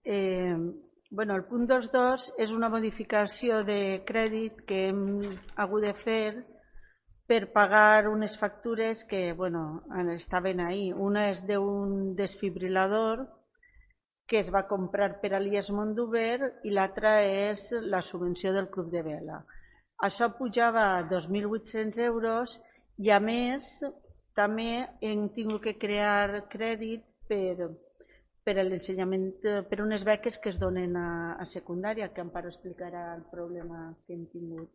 El punt 2.2 és una modificació de crèdit que hem hagut de fer per pagar unes factures que estaven ahí. Una és d'un desfibrilador que es va comprar per a l'IES Mondover i l'altra és la subvenció del Club de Vela. Això pujava a 2.800 euros i a més també hem tingut que crear crèdit per a l'ensenyament, per unes beques que es donen a secundària, que Amparo explicarà el problema que hem tingut.